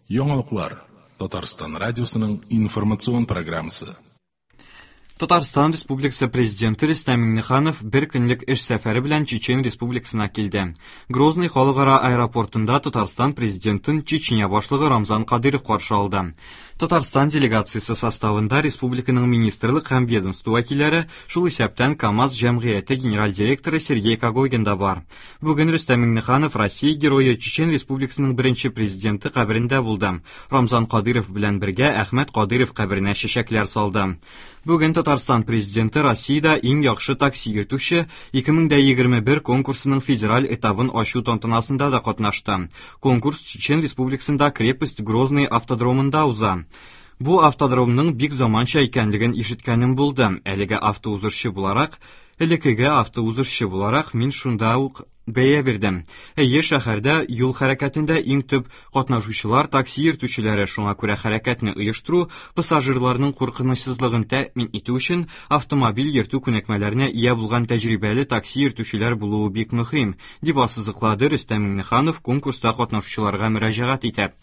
Яңалыклар Татарстан радиосының информацион программасы. Татарстан Республикасы Президенты Рөстәм Миңнеханов бер көнлек эш сәфәре белән Чечен Республикасына килде. Грозный халыкара аэропортында Татарстан Президентын Чечня башлыгы Рамзан Кадыров каршы алды. Татарстан делегациясе составында республиканың министрлык һәм ведомство вәкилләре, шул исәптән КАМАЗ җәмгыяте генераль директоры Сергей Когогин да бар. Бүген Рөстәм Миңнеханов Россия герое Чечен Республикасының беренче президенты каберендә булды. Рамзан Кадыров белән бергә Әхмәт Кадыров каберенә чәчәкләр салды. Бүген Татарстан Президенты Россиядә иң яхшы такси йөртүче 2021 конкурсының федераль этабын ачу тантанасында да катнашты. Конкурс Чечен Республикасында Крепость Грозный автодромында уза. Бу автодромның бик заманча икәнлеген ишеткәнем булды. Әлеге автоузышчы буларак, элеккеге автоузышчы буларак мин шунда ук бәя бирдем. Әйе, шәһәрдә юл хәрәкәтендә иң төп катнашучылар такси йөртүчеләре, шуңа күрә хәрәкәтне оештыру, пассажирларның куркынычсызлыгын тәэмин итү өчен автомобиль йөртү күнекмәләренә ия булган тәҗрибәле такси йөртүчеләр булуы бик мөһим, дип ассызыклады Рөстәм Миңнеханов конкурста катнашучыларга мөрәҗәгать итеп.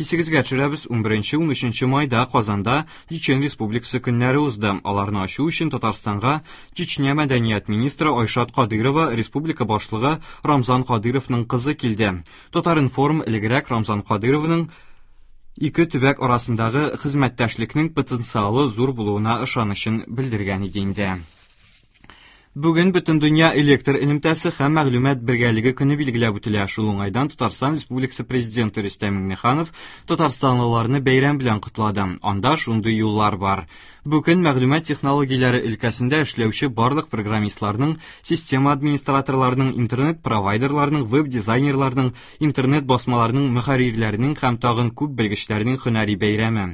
Исегезгә төшерәбез, 11-13 майда Казанда Чечен Республикасы көннәре узды. Аларны ачу өчен Татарстанга Чечня мәдәният министры Айшат Кадырова, республика башлыгы Рамзан Кадыровның кызы килде. Татар-информ элегрәк Рамзан Кадыровның ике төбәк арасындагы хезмәттәшлекнең потенциалы зур булуына ышанычын белдергән иде инде. Бүген Бөтендөнья электр элемтәсе һәм мәгълүмат бергәлеге көне билгеләп үтелә. Шул уңайдан Татарстан Республикасы Президенты Рөстәм Миңнеханов татарстанлыларны бәйрәм белән котлады. Анда шундый юллар бар. Бүген мәгълүмат технологияләре өлкәсендә эшләүче барлык программистларның, система администраторларының, интернет-провайдерларның, веб-дизайнерларның, интернет-басмаларның мөхәррирләренең һәм тагын күп белгечләрнең һөнәри бәйрәме.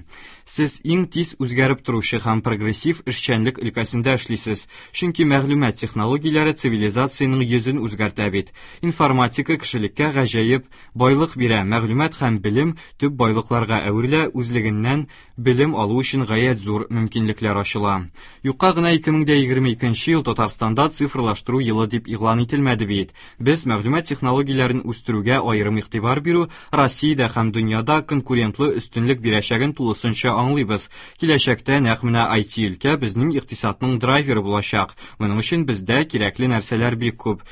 Сез иң тиз үзгәреп торучы һәм прогрессив эшчәнлек өлкәсендә эшлисез, чөнки мәгълүмат технологияләре цивилизациянең йөзен үзгәртә бит. Информатика кешелеккә гаҗәеп байлык бирә, мәгълүмат һәм белем төп байлыкларга әверелә, үзлегеннән белем алу өчен гаять зур мөмкинлекләр ачыла. Юкка гына 2022 ел Татарстанда цифрлаштыру елы дип игълан ителмәде бит. Без мәгълүмат технологияләрен үстерүгә аерым игътибар бирү Россиядә һәм дөньяда конкурентлы өстенлек бирәчәген тулысынча аңлыйбыз. Киләчәктә нәкъ менә IT өлкә безнең икътисадның драйверы булачак. Моның өчен бездә кирәкле нәрсәләр бик күп.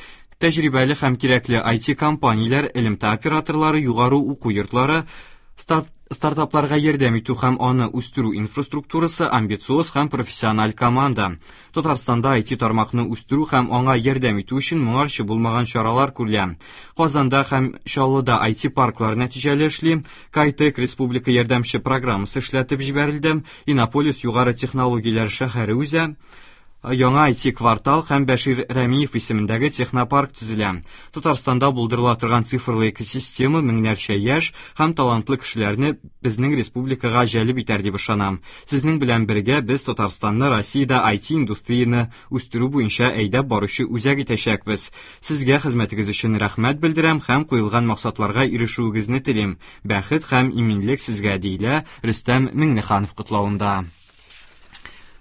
Тәҗрибәле һәм кирәкле IT-компанияләр, элемтә операторлары, югары уку йортлары, старт стартапларга ярдәм итү һәм аны үстерү инфраструктурасы, амбициоз һәм профессиональ команда. Татарстанда IT тармакны үстерү һәм аңа ярдәм итү өчен моңарчы булмаган чаралар күрелә. Казанда һәм Чаллыда IT парклар нәтиҗәле эшли, Кайтек республика ярдәмче программасы эшләтеп җибәрелде, Иннополис югары технологияләр шәһәре үзә, яңа IT-квартал һәм Бәшир Рәмиев исемендәге технопарк төзелә. Татарстанда булдырыла торган цифрлы экосистема меңнәрчә яшь һәм талантлы кешеләрне безнең республикага җәлеп итәр дип ышанам. Сезнең белән бергә без Татарстанны Россиядә IT-индустрияне үстерү буенча әйдәп баручы үзәк итәчәкбез. Сезгә хезмәтегез өчен рәхмәт белдерәм һәм куелган максатларга ирешүегезне телим. Бәхет һәм иминлек сезгә, диелә Рөстәм Миңнеханов котлавында.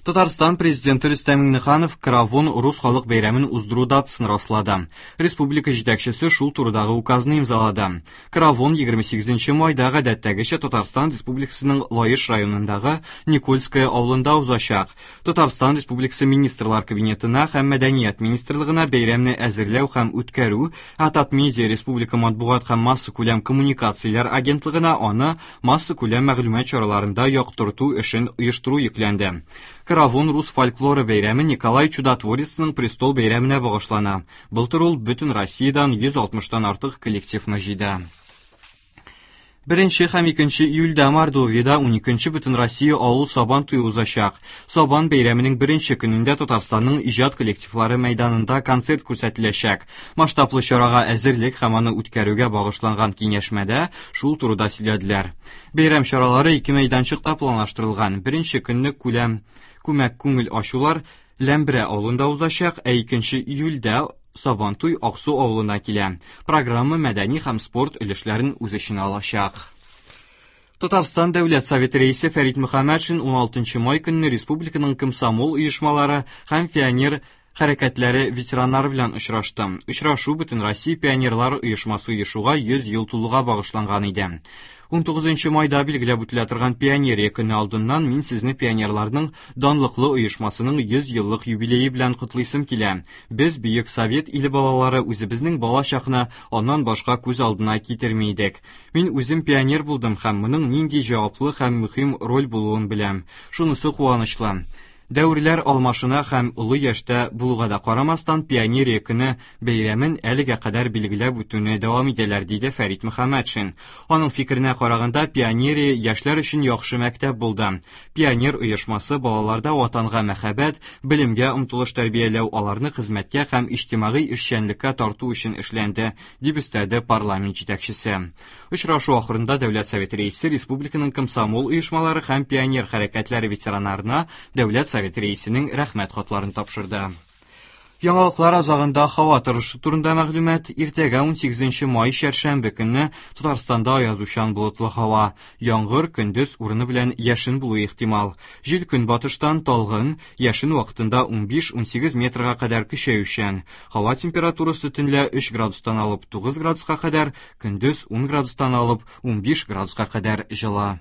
Татарстан президенты Рөстәм Миңнеханов Каравон рус халык бәйрәмен уздыру датасын раслады. Республика җитәкчесе шул турыдагы указны имзалады. Каравон 28 майда гадәттәгечә Татарстан Республикасының Лаеш районындагы Никольское авылында узачак. Татарстан Республикасы Министрлар Кабинетына һәм Мәдәният министрлыгына бәйрәмне әзерләү һәм үткәрү, ә Татмедиа республика матбугат һәм массакүләм коммуникацияләр агентлыгына аны массакүләм мәгълүмат чараларында яктырту эшен оештыру йөкләнде. Каравон рус фольклоры бәйрәме Николай Чудотворецның престол бәйрәменә багышлана. Былтыр ул бөтен Россиядән 160-тан артык коллективны җыйды. Беренче һәм икенче июльдә Мордовиядә 12-нче Бөтенроссия авыл Сабан туе узачак. Сабан бәйрәменең беренче көнендә Татарстанның иҗат коллективлары мәйданында концерт күрсәтеләчәк. Масштаблы чарага әзерлек һәм аны үткәрүгә багышланган киңәшмәдә шул турыда сөйләделәр. Бәйрәм чаралары ике мәйданчыкта планлаштырылган. Беренче көнне күләм күмәк күңел ачулар Ләмбрә авылында узачак, ә икенче июльдә Сабантуй Аксу авылына килә. Программа мәдәни һәм спорт өлешләрен үз эченә алачак. Татарстан Дәүләт Советы рәисе Фәрит Мөхәммәтшин 16 май көнне республиканың комсомол оешмалары һәм пионер хәрәкәтләре ветераннары белән очрашты. Очрашу Бөтенроссия пионерлар оешмасы оешуга 100 ел тулуга багышланган иде. 19 майда билгеләп үтелә торган Пионерия көне алдыннан мин сезне пионерларның данлыклы оешмасының 100 еллык юбилее белән котлыйсым килә. Без, бөек совет иле балалары, үзебезнең бала чакны аннан башка күз алдына китерми идек. Мин үзем пионер булдым һәм моның нинди җаваплы һәм мөһим роль булуын беләм. Шунысы куанычлы, Дәверләр алмашына һәм олы яшьтә булуга да карамастан, Пионерия көне бәйрәмен әлегә кадәр билгеләп үтүне дәвам итәләр, диде Фәрит Мөхәммәтшин. Аның фикеренә караганда, пионерия яшьләр өчен яхшы мәктәп булды. Пионер оешмасы балаларда ватанга мәхәббәт, белемгә омтылыш тәрбияләү, аларны хезмәткә һәм иҗтимагый эшчәнлеккә тарту өчен эшләнде, дип өстәде парламент җитәкчесе. Очрашу ахырында Дәүләт Советы Рәисе республиканың комсомол оешмалары һәм пионер хәрәкәтләре ветераннарына Дәүләт Советы Рәисенең Рәхмәт хатларын тапшырды. Яңалыклар азагында һава торышы турында мәгълүмат. Иртәгә 18 май чәршәмбе көнне Татарстанда аязучан болытлы һава. Яңгыр көндез урыны белән яшен булуы ихтимал. Җил көнбатыштан талгын, яшен вакытында 15-18 метрга кадәр көчәючән. Һава температурасы төнлә 3 градустан алып 9 градуска кадәр, көндез 10 градустан алып 15 градуска кадәр җылы.